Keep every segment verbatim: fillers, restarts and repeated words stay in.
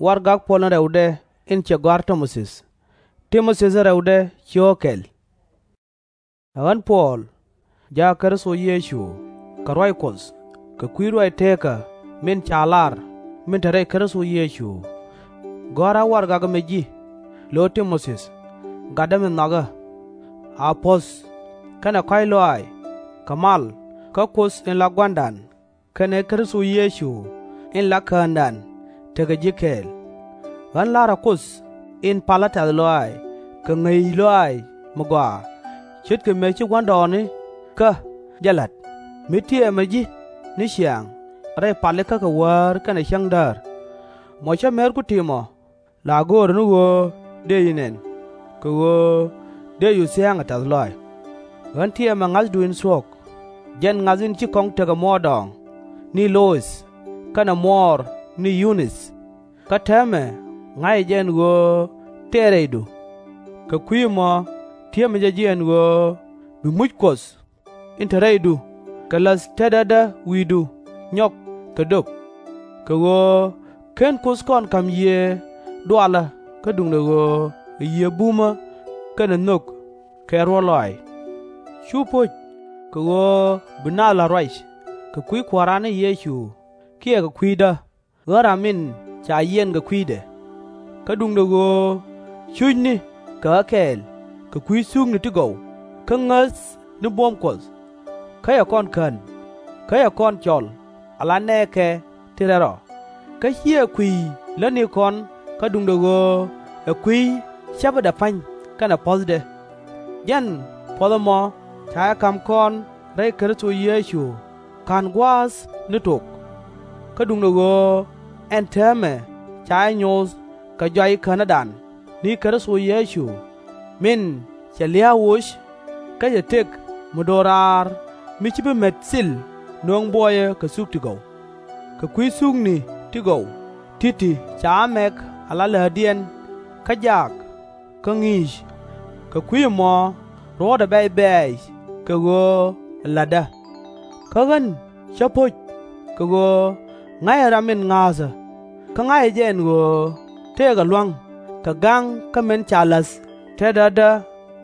Warɛgak Puɔl in rɛwdɛ in cɛ gɔ̱a̱r Ti-mo-thi. Ti-mo-thi in rɛwdɛ cio̱o̱k kɛl. Ɛ ɣän Puɔl, jaak Kritho Yecu, kɛ ruac Kuɔth, kɛ kui̱ ruac teekä min ca lar min te rɛy Kritho Yecu. Gɔ̱a̱rä warɛgak ɛmɛ ji̱, lö Ti-mo-thi, gatdä min nhɔakä. A puɔ̱th, kɛnɛ kɔ̱a̱c lɔaac, kɛ mal, kä Kuoth in la Gua̱a̱ra kɛnɛ Kritho Yecu in la Käändan tekɛ ji̱ kɛɛl. Ɣän la̱rä Kuoth in palä tɛ̈th lɔaac kɛ ŋäc lɔaac mi gɔaa, ce̱tkɛ mëë ci gua̱ndɔɔŋnikä jɛ la̱t, mi tiɛmɛ ji̱ ni ciaŋ rɛy palikä kɛ wäär kɛnɛ cäŋdäär. Mɔ cä merku ti̱i̱mɔ la göörä ni ɣöö dëë ji̱ nɛn, kɛ ɣöö dëë ji̱ thia̱a̱ŋ ɛ tɛ̈th lɔaac. Ɣän tiɛmɛ ŋa̱thdu in thuɔ̱k, jɛn ŋa̱th in ci kɔŋ tekɛ muɔɔrdɔɔŋ ni Lo-ith kɛnɛ muɔɔr ni Yu-nith. Kä täämɛ ŋa̱cä jɛ ɛn ɣöö tëë rɛydu. Kɛ kui̱ ɛmɔ ti̱emä jɛ ji̱ ɛn ɣöö bi muc Kuɔth in te rɛydu kɛ läth tetdädä wi̱i̱du nyɔk kɛ döp. Kɛ ɣöö /ken Kuoth kɔn ka̱m yiëë dualä kä duundɛ ɣöö ɛ yiëë bumä kɛnɛ nhök kɛ ruɔ̱t lɔaac. /Cu po̱c, kɛ ɣöö bi naath la̱t ruac kɛ kui̱ Kua̱ran ni Yecu kiɛ kɛ kui̱dä, ɣän ram min ca yiɛn kɛ kui̱dɛ. Kä duundɛ ɣöö cucni kɛ ɣä kɛɛl kɛ kui̱ thukni ti gɔw kä ŋäth ni buɔ̱m Kuɔth. Kä cɛ kɔn kän, kä cɛ kɔn cɔl ala nɛɛkɛ ti rɛl rɔ, kä /ciɛ kui̱ lätnikɔn kä duundɛ ɣöö ɛ kui̱ cäpädɛ pa̱ny kɛnɛ puɔ̱thdɛ. Jɛn puɔ̱th ɛmɔ ca jɛ ka̱m kɔn rɛy Kritho Yecu /ka̱n gua̱a̱th ni tok. Kä duundɛ ɣöö ɛn täämɛ ca jɛ nyoth kɛ jɔac Käänädan ni Kritho Yecu, min cɛ lia̱a̱ woc, kä cɛ tëk mi do̱raar mi /ci bi met thil nöŋ buɔyä kɛ thuk ti gɔw. Kɛ kui̱ thukni ti gɔw ti̱ti̱ ca ɣä mɛk ala lätdiɛn kä jaak kä ŋi̱i̱c. Kɛ kui̱ ɛmɔ ruɔ̱ɔ̱tdä bɛ̈c bɛ̈ɛ̈c kɛ ɣöö ɛ la̱tdä. Kä ɣän cä po̱c, kɛ ɣöö ŋa̱cä ram min ŋa̱a̱thä, kä ŋa̱cä jɛ ɛn ɣöö tëëkɛ lua̱ŋ kɛ ga̱ŋ kä min ca la̱th tetdädä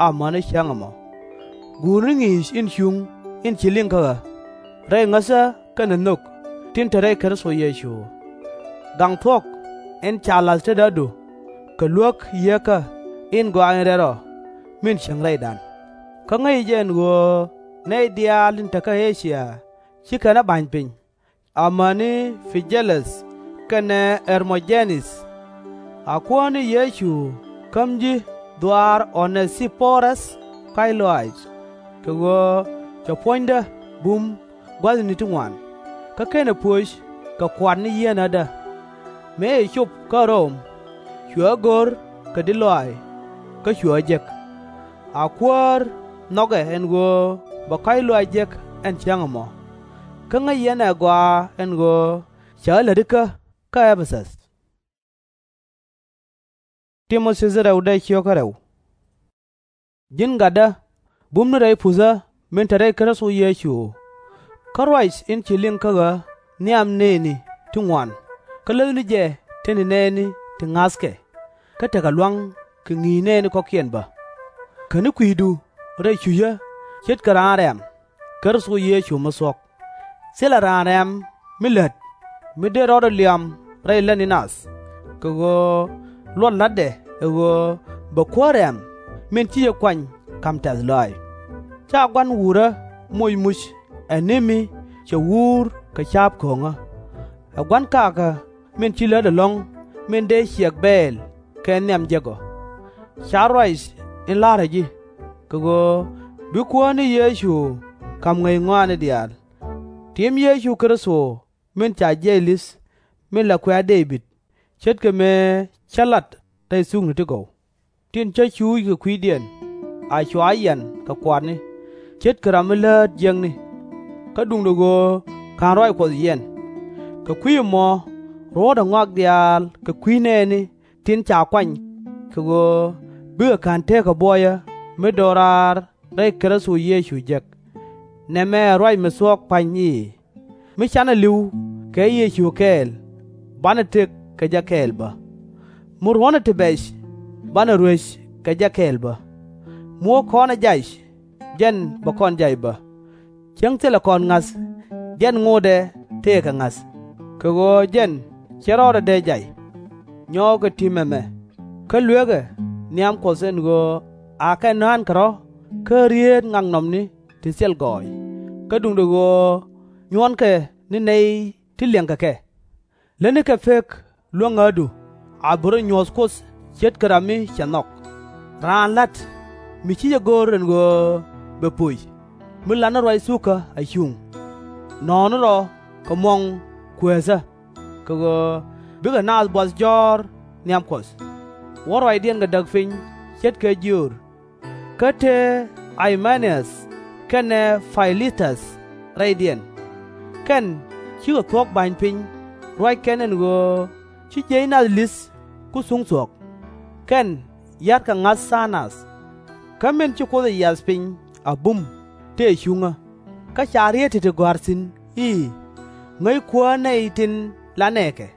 amäni cäŋ ɛmɔ. Guurni ŋi̱i̱c in cuŋ in ci liŋ kä ɣä, rɛy ŋäthä kɛnɛ nhök tin te rɛy Kritho Yecu. Gaŋ thuɔ̱k in ca la̱th tetdädu kɛ luäk Yieekä in Gɔaa in Rɛl Rɔ min cieŋ rɛydan. Kä ŋäcä jɛ ɛn ɣöö nɛy diaal tin te kä E-cia ci kɛn ɣä ba̱ny piny, amäni Pi-jɛ-läth kɛnɛ Ɣɛr-mɔ-jɛ-nith. A Kuäär ni Yecu käm ji̱ dhɔaar O-nɛ-thi-po-räth kɔ̱a̱c lɔaac, kɛ ɣöö cɛ puɔ̱nydä bum gua̱thni ti ŋuan, kä /kenɛ pöc kɛ kuatni yieenädä. Mëë cɛ cop kä Röm, cuɛ ɣä go̱r kɛ di̱t lɔaac, kä cuɛ ɣä jek. A Kuäär nhɔkɛ ɛn ɣöö bɛ kɔ̱a̱c lɔaac jek ɛn cäŋ ɛmɔ. Kä ŋäc yɛn ɛ gɔaa ɛn ɣöö cɛ ɣä lätikä kä Ɛ-pɛ-thäth. Ji̱n gatdä, bumni rɛy puthä min te rɛy Kritho Yecu. Kä ruac in ci liŋ kä ɣä nhiam nëëni ti ŋuan, kä läthni jɛ tetni nɛɛni ti ŋa̱thkɛ, kä tekɛ lua̱ŋ kɛ ŋi̱i̱c nɛɛni kɔ̱kiɛn bä. Käni kui̱du rɛy cucä ce̱tkɛ raan rɛ̈m, Kritho Yecu mi thuɔ̱k. Thilɛ raan rɛ̈m mi lät mi dee rɔɔdɛ liam rɛy lätni nath, kɛ ɣöö luɔt la̱tdɛ ɛ ɣöö bɛ Kuäär rɛ̈m min ci jɛ kuany ka̱m tɛ̈th lɔaac. /Ca gua̱n wutdä moc muc ɛ ni mi cɛ wuur kɛ ca̱a̱p ko̱o̱ŋä. Ɛ gua̱n kakä min ci lät ɛlɔ̱ŋ min dee ciɛk bɛɛl kɛ nhiam jek ɔ. Car ruac in la̱rä ji̱, kɛ ɣöö bi Kuäär ni Yecu ka̱m ŋäc ŋɔaani diaal. Tim Yecu Kritho min ca jiɛc li̱th min la kuɛ̈ɛ̈ Dee-bid, ce̱tkɛ mëë cä lat rɛy thukni ti gɔw, tin cä cuuc kɛ kui̱diɛn, a cua yian kɛ kuatni, ce̱tkɛ ram mi läät jiäkni. Kä duundɛ ɣöö /ka̱n ruac Kuɔth yiɛn. Kɛ kui̱ ɛmɔ ruɔ̱ɔ̱tdä ŋɔak diaal kɛ kui̱ nɛɛni tin ca kuany, kɛ ɣöö bikɛ kän tekɛ buɔyä mi do̱raar rɛy Kritho Yecu jek. Nɛmɛ ɛ ruac mi thuɔ̱k pa̱ny i̱, mi canɛ li̱w kɛ Yecu kɛɛl, banɛ tëk kɛ jɛ kɛɛl bä. Mi ruɔ̱nɛ ti bɛc, banɛ ruec kɛ jɛ kɛɛl bä. Mi wä kɔn ɛ jac, jɛn bɛ kɔn jac bä. Cäŋ thilɛ kɔn ŋa̱th, jɛn ŋotdɛ tëëkɛ ŋa̱th, kɛ ɣöö jɛn /cɛ rɔɔdɛ dee jay. Nyɔkɛ ti̱m ɛmɛ, kä luekɛ nhiam Kuɔth ɛn ɣöö akɛ nɔ̱a̱nkɛ rɔ̱ kä rieet ŋaknɔmni ti thil gɔɔy, kä duundɛ ɣöö nyuɔnkɛ ni nɛy ti liɛŋkɛ kɛ. Lätnikɛ pek luäŋädu, a bi rɔ nyuɔ̱th Kuoth ce̱tkɛ ram mi cɛ nhɔk. Raan la̱t mi /ci jɛ go̱r ɛn ɣöö bɛ pöc, mi lat ni ruac thukä a cuŋ. Nɔ̱ɔ̱ni rɔ kɛ muɔŋ kueethä, kɛ ɣöö bikɛ naath buɔth jɔ̱ɔ̱r nhiam Kuɔth. Wä ruacdiɛn kɛ däk piny ce̱tkɛ jiöör. Kä te Ɣay-mɛ-ni-äth kɛnɛ Pay-li-täth rɛydiɛn. Kɛn cikɛ thuɔ̱k ba̱ny piny, ruac kɛn ɛn ɣöö ci jiɛc nath li̱th ku thuŋ thuɔ̱k. Kɛn ya̱rkɛ ŋa̱th tha̱a̱ŋ nath. Kä min ci Kuoth ɛ yiath piny a bum tëë cuŋä, kä ca rieet ti̱ti̱ gɔ̱a̱r thi̱n i̱, Ŋäc kuäär nɛy tin la nɛɛkɛ.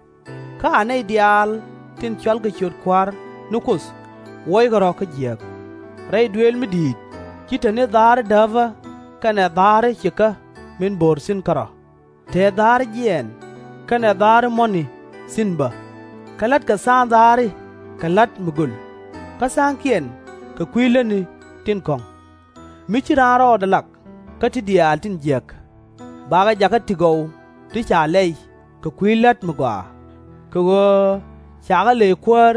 Kä a nɛy diaal tin cɔalkɛ ciöt Kua̱r ni Kuoth wuɔckɛ rɔ̱ kä jiääk. Rɛy duëël mi di̱i̱t ci te ni dha̱a̱ri dääpä kɛnɛ dha̱a̱ri cikä min bo̱r thi̱n kärɔ̱, te dha̱a̱ri jiɛɛn kɛnɛ dha̱a̱ri muɔ̱ni thi̱n bä. Kä la̱tkɛ tha̱a̱ŋ dha̱a̱ri kɛ la̱t mi göl, kä tha̱a̱ŋkiɛn kɛ kui̱ lätni tin kɔ̱ŋ. Mi ci raan rɔɔdɛ lak kä ti diaal tin jiäk, bakɛ jakä ti gɔw ti ca lɛy kɛ kui̱ la̱t mi gɔaa, kɛ ɣöö cakɛ ley kuäär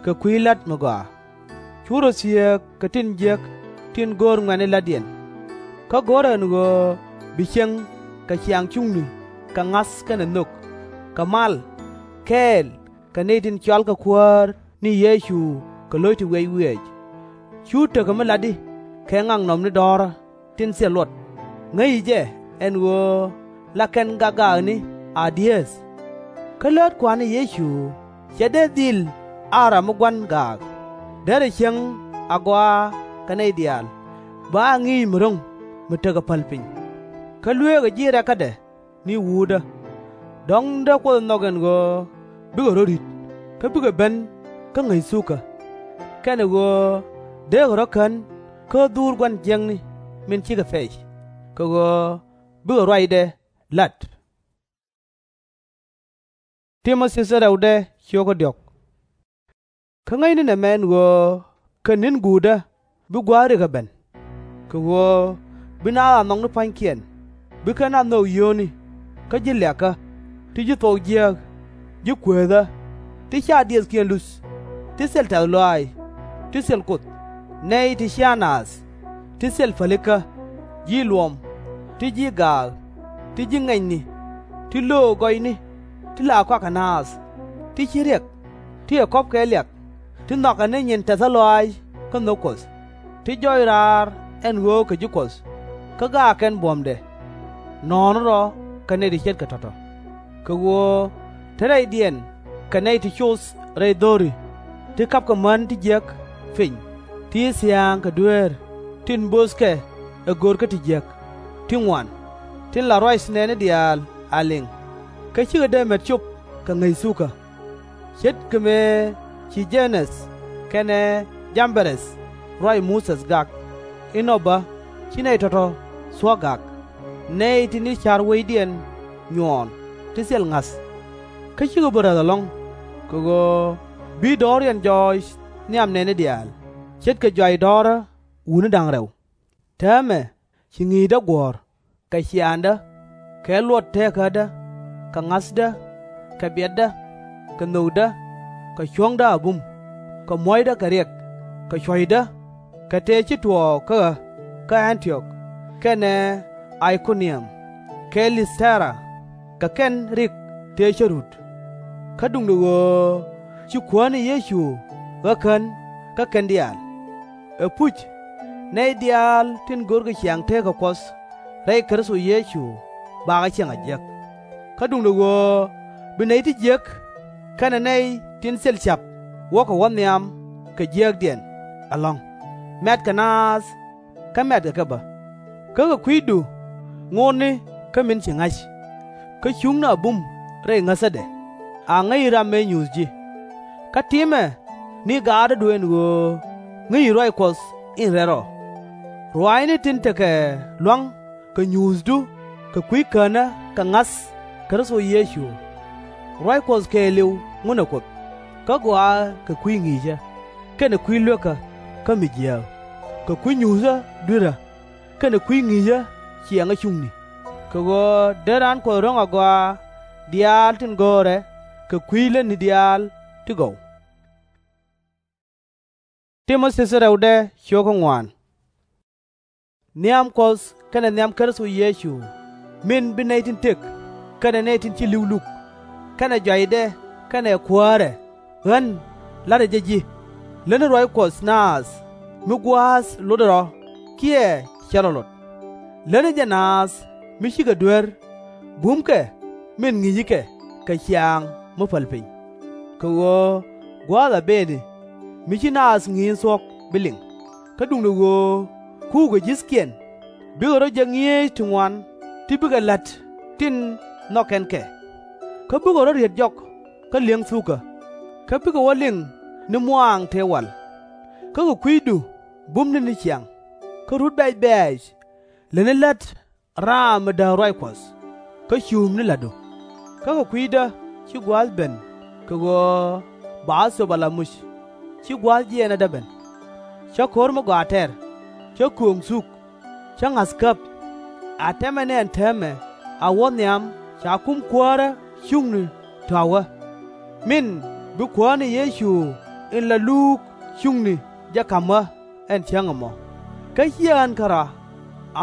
kɛ kui̱ la̱t mi gɔaa. /Cu rɔ thieek kɛ tin jiäk tin go̱o̱r ŋuɛ̈tni la̱tdiɛn. Kä go̱rɛ ɛn ɣöö bi ciɛŋ kɛ ciaaŋ cuŋni kɛ ŋa̱th kɛnɛ nhök, kɛ mal, kɛɛl kɛ nɛy tin cɔalkɛ Kuäär ni Yecu kɛ lo̱c ti wiɛc wiɛɛc. /Cu tekɛ mi latdi kɛ ŋaknɔmni dɔ̱ɔ̱rä tin thil luɔt, ŋäci jɛ ɛn ɣöö la kɛn gak gaakni a di̱eeth. Kä läät Kua̱r ni Yecu /cɛ dee dhil a ram mi gua̱n gaak, derɛ cieŋ agɔaa kɛ nɛy diaal, bɛ a ŋi̱i̱c mi ro̱ŋ mi tekɛ päl piny. Kä luëëkɛ ji̱ rɛkädɛ ni wuutdä. Dɔ̱ŋ dee Kuoth ɛ nhɔk ɛn ɣöö bikɛ rɔ̱ ri̱t, kä bikɛ ben kä ŋäc thukä. Kɛnɛ ɣöö dee kɛ rɔ̱ kän kä dhuur gua̱n jiäkni min cikɛ pɛc, kɛ ɣöö bikɛ ruacdɛ la̱t. Kä ŋäcni nɛmɛ ɛn ɣöö kɛ ni̱n guutdä bi gua̱a̱th rik ɛ ben, kɛ ɣöö bi naath a nhɔk ni pua̱nykiɛn, bi kɛn a nhök yio̱o̱ni, kä ji̱ liakä, ti ji̱ thuɔk jiääk, ji̱ kueethä, ti /ca diëthkiɛn luth, ti thil tɛ̈th lɔaac, ti thil Kuoth, nɛy ti cia naath, ti thil pälikä, ji̱ luɔm, ti ji̱ gaak, ti ji̱ ŋɛnyni, ti löök gɔyni, ti la kɔakɛ naath, ti /ci riɛk, ti ɛ kɔ̱p kɛ liak, ti nhɔakɛ ni nyin tɛthä lɔaac kä nhök Kuɔth, ti jɔc raar ɛn ɣöö kɛ ji̱ Kuɔth, kä gaak kɛn buɔ̱mdɛ. Nɔ̱ɔ̱ni rɔ̱ kɛ nɛy ti ce̱tkɛ tɔ̱tɔ̱. Kɛ ɣöö te rɛydiɛn kɛ nɛy ti coth rɛy dho̱ri, ti ka̱pkɛ män ti jiäk piny, ti ci thia̱a̱ŋ kɛ dueer tin böthkɛ ɛ gör kä ti jiäk, ti ŋuan, tin la ruac nɛɛni diaal a liŋ, kä /cikɛ dee met cop kɛ ŋäc thukä. Ce̱tkɛ mëë ci Jä-nɛth kɛnɛ Jam-bɛ-rɛth ruac Muthɛ gak, inɔ bä ci nɛy tɔ̱tɔ̱ thuɔ̱k gak, nɛy tin ci ca̱r wecdiɛn nyuɔɔn ti thil ŋa̱th. Kä /cikɛ bi räth ɛlɔ̱ŋ, kɛ ɣöö bi dɔ̱ɔ̱riɛn jɔɔc nhiam nɛɛni diaal, ce̱tkɛ jɔac dɔ̱ɔ̱rä wutni da̱ŋ rɛw. Täämɛ ci ŋi̱i̱cdä guɔ̱ɔ̱r, kɛ ciaaŋdä, kɛ luɔt teekädä, kɛ ŋa̱thdä, kɛ biɛtdä, kɛ nhökdä, kɛ cuɔ̱ŋdä a bum, kɛ muɔ̱cdä kɛ riɛk, kɛ cuɔ̱cdä, kɛ tëë ci tuɔɔk kä ɣä kä Ɛ̈n-ti-ɔk, kɛnɛ Ay-ko-niäm, kɛ Lith-tɛ-ra, kɛ kɛn rik tëë cä rut. Kä duundɛ ɣöö ci Kuäär ni Yecu ɣä kän kä kɛn diaal. Ɛpuc, nɛy diaal tin görkɛ ciaŋ teekä Kuɔth rɛy Kritho Yecu bakɛ ciɛŋ a jiäk. Kä duundɛ ɣöö bi nɛy ti jiäk kɛnɛ nɛy tin thil ca̱p wäkɛ wä nhiam kɛ jiääkdiɛn ɛlɔ̱ŋ, mɛ̈tkɛ naath kä mɛ̈tkɛ kɛ bä. Kä kɛ kui̱du ŋotni kä min ci ŋa̱c. Kä cuŋni a bum rɛy ŋäthädɛ, a ŋäci ram mëë nyuuth ji̱. Kä timɛ ni gaatdu ɛn ɣöö ŋäci ruac Kuɔth in rɛl rɔ. Ruaacni tin tekɛ lua̱ŋ kɛ nyuuthdu kɛ kui̱ känä kɛ ŋa̱th Kritho Yecu. Ruac Kuɔth kɛɛliw ŋunɛ Kuoth, kä gɔaaɛ kɛ kui̱ ŋi̱i̱cä, kɛnɛ kui̱ luekä kä mi jiääk, kɛ kui̱ nyuuthä dui̱rä, kɛnɛ kui̱ ŋi̱i̱cä ciɛŋä cuŋni. Kɛ ɣöö dee raan Kuɔth ro̱ŋ agɔaa diaal tin go̱o̱rɛ kɛ kui̱ lätni diaal ti gɔw. Nhiam Kuɔth kɛnɛ nhiam Kritho Yecu, min bi nɛy tin tëk kɛnɛ nɛy tin ci li̱w luk, kɛnɛ jɔacdɛ kɛnɛ kuäärɛ ɣän la̱tdä jɛ ji̱. Lätni ruac Kuɔth naath mi gua̱a̱th lotdɛ rɔ kiɛ /cɛ rɔ lot. Lätni jɛ naath mi cikɛ duer, bumkɛ min ŋi̱i̱cikɛ kɛ ciaŋ mi päl piny. Kɛ ɣöö gua̱a̱th a bëëni mi ci naath ŋi̱i̱c in thuɔ̱k bi liŋ, kä duundɛ ɣöö kuukɛ ji̱thkiɛn bikɛ rɔ̱ jek ŋi̱eec ti ŋuan ti bikɛ la̱t tin nhɔk kɛn kɛ. Kä bikɛ rɔ̱ riet jɔk kä li̱eŋ thukä, kä bikɛ wä liŋ ni muaaŋ tëë wal. Kä kɛ kui̱du bumni ni ciaŋ, kä rut bɛ̈c bɛ̈ɛ̈c lätni la̱t raam mi dääk ruac Kuɔth, kä cuupni la̱tdu. Kä kɛ kui̱dä ci gua̱a̱th ben kɛ ɣöö ba thöp ala muc, ci gua̱a̱th jiɛɛnädä ben. Cä ko̱r mi gɔaa tɛr, cä kööŋ thuk, cä ŋa̱th käp. A tɛmɛ ni ɛn täämɛ a wä nhiam ca kum kuäärä cuŋni tɔ̱a̱w ɣä, min bi Kuäär ni Yecu in la luuk cuŋni jɛ ka̱m ɣä ɛn cäŋ ɛmɔ. Kä /ciɛ ɣän kärɔa,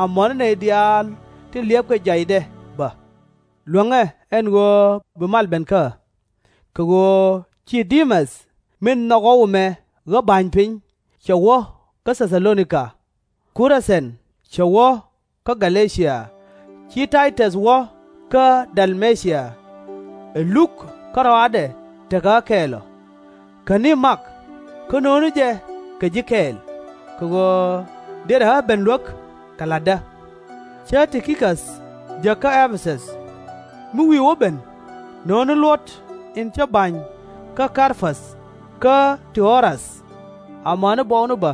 amäni nɛy diaal tin liɛpkɛ jɔacdɛ bä. Luäŋɛ ɛn ɣöö bi mal ben kä ɣä. Kɛ ɣöö ci Di-mɛth min nhɔk ɣɔw ɛmɛ ɣä ba̱ny piny cɛ wä kä Thɛ-tha-lo-ni-ka. Ku Rɛ-thɛn cɛ wä kä Gä-lɛ-cia. Ci Tay-täth wä kä Dal-me-cia. Ɛ Luk kärɔaadɛ tekɛ ɣä kɛɛl ɔ. Käni Mak, kä no̱o̱ŋni jɛ kɛ ji̱ kɛɛl, kɛ ɣöö dërɛ ɣä ben luäk kɛ la̱tdä. Cä Ti-ki-käth jek kä Ɛ-pɛ-thäth. Mi wi̱i̱ wä ben, no̱o̱ŋni luɔ̱t in cä ba̱ny kä Kar-päth kä Ti-ro-ath, amäni buɔkni bä,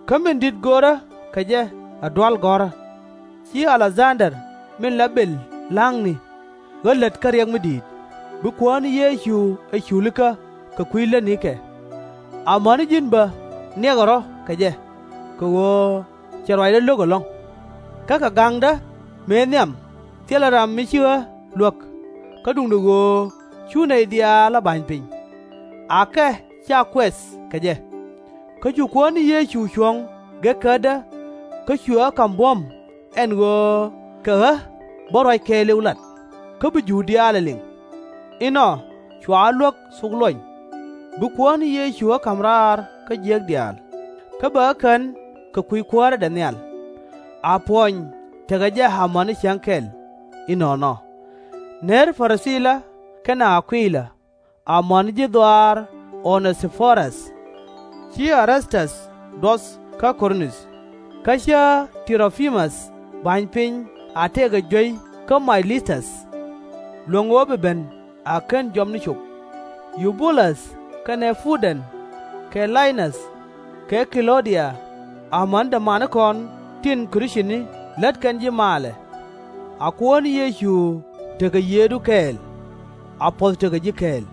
kä min di̱t görä kɛ jɛ ɛ dual gɔ̱rä. Ci A-lek-dhan-der min la bël la̱ŋni ɣä lät kä riɛk mi di̱i̱t, bi Kuäär ni Yecu ɛ culikä kɛ kui̱ lätnikɛ. Amäni ji̱n bä niɛkɛ rɔ̱ kɛ jɛ, kɛ ɣöö cɛ ruacdä lo̱k ɛlɔ̱ŋ. Kä kɛ ga̱ŋdä mëë nhiam thilɛ ram mi ci ɣä luäk, kä duundɛ ɣöö cu nɛy diaal ɣä ba̱ny piny. Akɛ /ca kuɛth kɛ jɛ. Kä cu Kuäär ni Yecu cuɔ̱ŋ gekädä, kä cuɛ ɣä ka̱m buɔ̱m ɛn ɣöö kɛ ɣä bä ruac kɛɛliw lat, kä bi Jur diaal ɛ liŋ. Inɔ cua ɣä luäk thok luɔny. Bi Kuäär ni Yecu ɣä ka̱m raar kä jiäk diaal, kä bɛ ɣä kän kɛ kui̱ kuäärädɛ nhial. A Puɔny tekɛ jɛ amäni cäŋ kɛl. Inɔnɔ. Ner Pɛ-ri-thila kɛnɛ A-kui-la, amäni ji̱ dhɔaar O-nɛ-thi-po-räth. Ci Ɛ-rath-täth duɔth kä Ko-rinth, kä cä Ti-ro-pi-mäth ba̱ny piny a tëëkɛ juey kä May-li-täth. Luäŋ ɣöö bi ben a /ken jɔpni cop. Yu-bu-läth kɛnɛ Pu-dɛn kɛ Lay-näth kɛ Ki-lɔ-dia, amäni dämanikɔn tin Krith-cini lät kɛn ji̱ maalɛ. A Kuäär ni Yecu tekɛ yiëëdu kɛɛl. A puɔ̱th tekɛ ji̱ kɛɛl.